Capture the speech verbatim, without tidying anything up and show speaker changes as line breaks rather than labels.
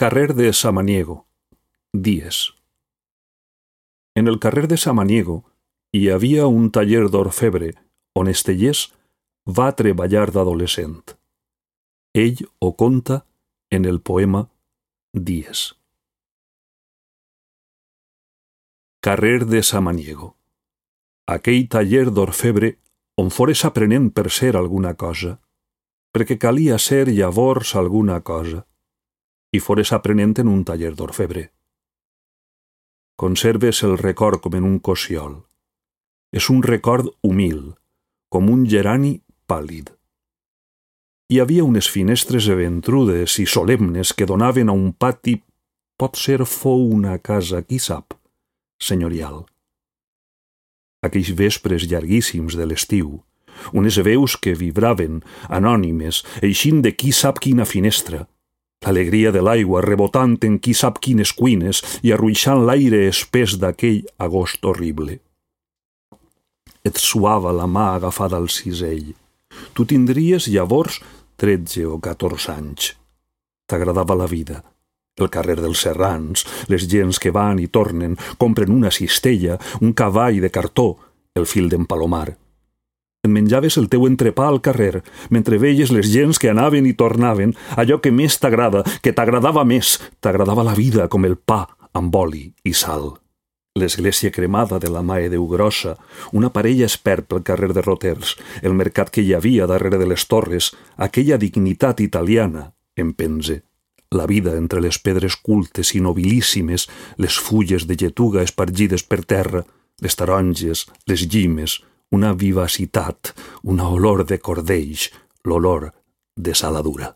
Carrer de Samaniego, dies. En el carrer de Samaniego hi havia un taller d'orfebre on Estellés va treballar d'adolescent. Ell ho conta en el poema Dies. Carrer de Samaniego. Aquell taller d'orfebre on fores aprenent per ser alguna cosa, perquè calia ser llavors alguna cosa, i fores aprenent en un taller d'orfebre. Conserves el record com en un cossiol. És un record humil, com un gerani pàl·lid. Hi havia unes finestres eventrudes i solemnes que donaven a un pati, potser fou una casa, qui sap, senyorial. Aquells vespres llarguíssims de l'estiu, unes veus que vibraven, anònimes, eixint de qui sap quina finestra, l'alegria de l'aigua rebotant en qui sap quines cuines i arruixant l'aire espès d'aquell agost horrible. Et suava la mà agafada al cisell. Tu tindries llavors tretze o catorze anys. T'agradava la vida, el carrer dels serrans, les gents que van i tornen, compren una cistella, un cavall de cartó, el fil d'en Palomar. Et menjaves el teu entrepà al carrer, mentre veies les gents que anaven i tornaven, allò que més t'agrada, que t'agradava més, t'agradava la vida com el pa amb oli i sal. L'església cremada de la Mare Déu Grossa, una parella espert pel carrer de Roters, el mercat que hi havia darrere de les torres, aquella dignitat italiana, en pense. La vida entre les pedres cultes i nobilíssimes, les fulles de lletuga espargides per terra, les taronges, les llimes, una vivacitat, una olor de cordells, l'olor de saladura.